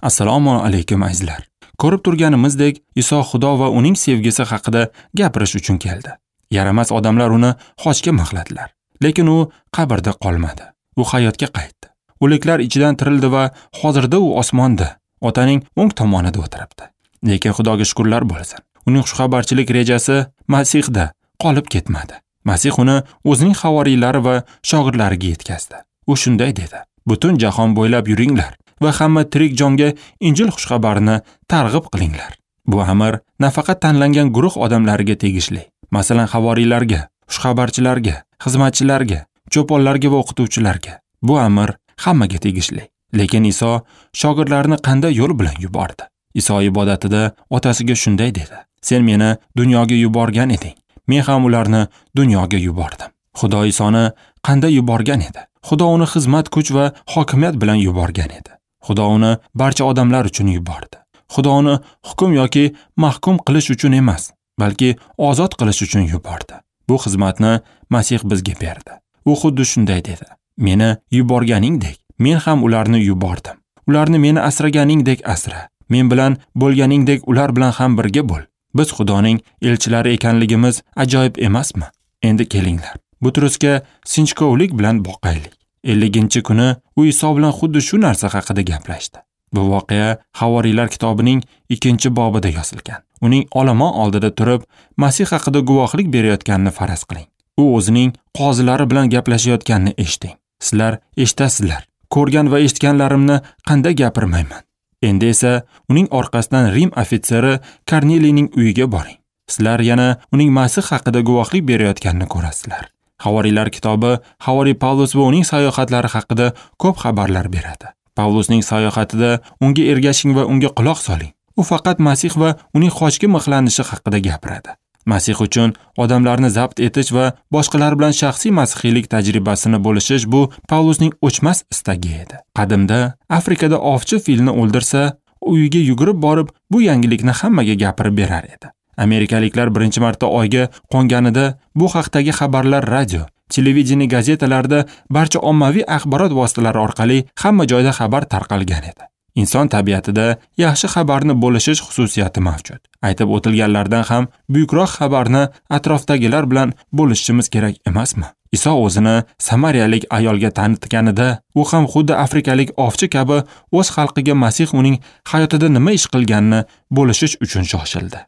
Assalomu alaykum azizlar. Ko'rib turganimizdek, Iso Xudo va uning sevgisi haqida gapirish uchun keldi. Yaramas odamlar uni xochga mixladilar. Lekin u qabrda qolmadi. U hayotga qaytdi. O'liklar ichidan tirildi va hozirda u osmonda, Otaning o'ng tomonida o'tiribdi. Lekin Xudoga shukrlar bo'lsin. Uning xushxabarchilik rejasi Masihda qolib ketmadi. Masih uni o'zining havoriylari va shogirdlariga yetkazdi. U shunday dedi: "Butun jahon bo'ylab yuringlar va hamma tirik jonga Injil xushxabarini targ'ib qilinglar." Bu amr nafaqat tanlangan guruh odamlariga tegishli. Masalan, havoriylarga, xushxabarchilarga, xizmatchilarga, cho'ponlarga va o'qituvchilarga. Bu amr hammaga tegishli. Lekin Iso shogirdlarini qanday yo'l bilan yubordi? Iso ibodatida otasiga shunday dedi: "Sen meni dunyoga yuborgan eding. Men ham ularni dunyoga yubordim." Xudo Isoni qanday yuborgan edi? Xudo uni xizmat, kuch va hokimiyat bilan yuborgan edi. Xudo uni barcha odamlar uchun yubordi. Xudo uni hukm yoki mahkum qilish uchun emas, balki ozod qilish uchun yubordi. Bu xizmatni Masih bizga berdi. U xuddi shunday dedi: "Meni yuborganingdek, men ham ularni yubordim. Ularni meni asraganingdek asra. Men bilan bo'lganingdek ular bilan ham birga bo'l." Biz Xudoning elchilari ekanligimiz ajoyib emasmi? Endi kelinglar, Butrusga sinchkovlik bilan boqaylik. 50-kuni u Iso bilan xuddi shu narsa haqida gaplashdi. Bu voqea Havoriylar kitobining 2-bobida yozilgan. Uning olomon oldida turib, Masih haqida guvohlik berayotganini faraz qiling. U o'zining qozilari bilan gaplashayotganini eshiting. Sizlar eshitasizlar. Ko'rgan va eshitganlarimni qanday gapirmayman? Endi esa uning orqasidan Rim ofitseri Korneliyning uyiga boring. Sizlar yana uning Masih haqida guvohlik berayotganini ko'rasizlar. Havoriylar kitobi Havoriy Pavlus va uning sayohatlari haqida ko'p xabarlar beradi. Pavlusning sayohatida unga ergashing va unga quloq soling. U faqat Masih va uning xochga mixlanishi haqida gapiradi. Masih uchun odamlarni zabt etish va boshqalar bilan shaxsiy masihiylik tajribasini bo'lishish bu Pavlusning o'chmas istagi edi. Qadimda Afrikada ovchi filni o'ldirsa, uyiga yugurib borib, bu yangilikni hammaga gapirib berar edi. Amerikaliklar birinchi marta Oyga qo'nganida bu haqdagi xabarlar radio, televideniye, gazetalarda, barcha ommaviy axborot vositalari orqali hamma joyda xabar tarqalgan edi. Inson tabiatida yaxshi xabarni bo'lishish xususiyati mavjud. Aytib o'tilganlardan ham buyukroq xabarni atrofdagilar bilan bo'lishishimiz kerak emasmi? Iso o'zini samariyalik ayolga tanitganida, u ham xuddi afrikalik ovchi kabi o'z xalqiga Masih uning hayotida nima ish qilganini bo'lishish uchun shoshildi.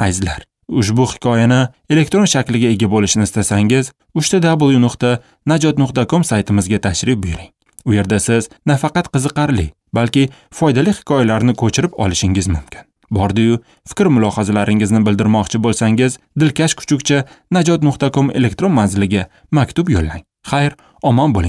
Azizlar, ushbu hikoyani elektron shakliga ega bo'lishni istasangiz, www.najot.com saytimizga tashrif buyuring. U yerda siz nafaqat qiziqarli, balki foydali hikoyalarni ko'chirib olishingiz mumkin. Bordi-yu, fikr mulohazalaringizni bildirmoqchi bo'lsangiz, dilkash kuchukcha najot.com elektron manziliga maktub yo'llang. Xayr, omon bo'ling.